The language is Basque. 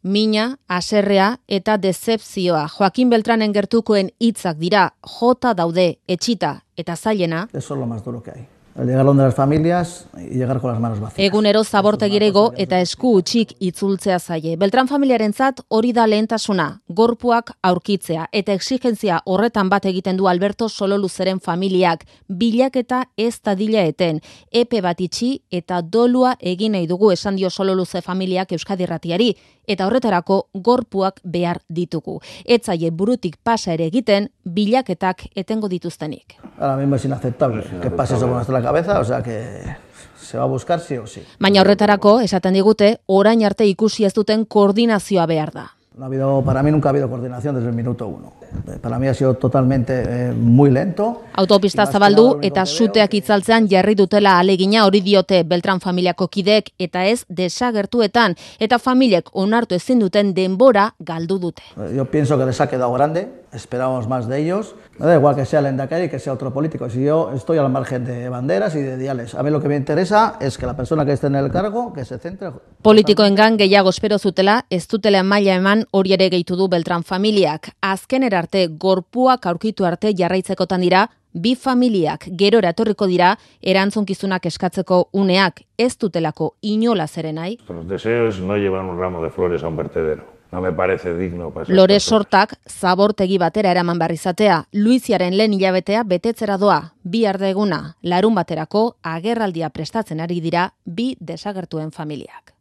mina, haserrea eta dezepzioa. Joaquin Beltranen gertukoen hitzak dira, jota daude, etxita eta zailena. Eso es lo más duro que hay. El llegar donde las familias y llegar con las manos vacías. Egunero zabortegirego eta esku utxik itzultzea zaie. Beltran familiarentzat hori da lehentasuna, gorpuak aurkitzea eta exigentzia horretan bat egiten du Alberto Sololuzeren familiak, bilaketa ez dadila eten, epe bat itxi eta dolua egin nahi dugu esan dio Sololuze familiak Euskadi Irratiari, eta horretarako gorpuak behar ditugu. Etzaie burutik pasa ere egiten, bilaketak etengo dituztenik. Ahora mismo es inaceptable que pase eso por nuestra cabeza, o sea que se va a buscar sí o sí. Baina horretarako, esaten digute, orain arte ikusi ez duten koordinazioa behar da. Para mí nunca ha habido coordinación desde el minuto 1. Para mí ha sido totalmente muy lento. Autopista zabaldu eta suteak itzaltzean jarri dutela alegina hori diote Beltran familiako kideek eta ez desagertuetan eta familiek onartu ezin duten denbora galdu dute. Yo pienso que les ha quedado grande, esperábamos más de ellos. Me da igual que sea el Lehendakari que sea otro político. Si yo estoy al margen de banderas y de diales. A mí lo que me interesa es que la persona que esté en el cargo que se centre. Politikoengan gehiago espero zutela, ez dutela maila eman hori ere gehitu du Beltran familiak. Azkenera arte gorpuak aurkitu arte jarraitzekotan dira, bi familiak gerora etorriko dira erantzunkizunak eskatzeko uneak ez dutelako inola zeren nahi. Los deseos no llevan un ramo de flores a un vertedero. No me parece digno para Lore sortak zabortegi batera eraman behar izatea, Luiziaren lehen hilabetea betetzera doa, bihar da eguna, larun baterako agerraldia prestatzen ari dira bi desagertuen familiak.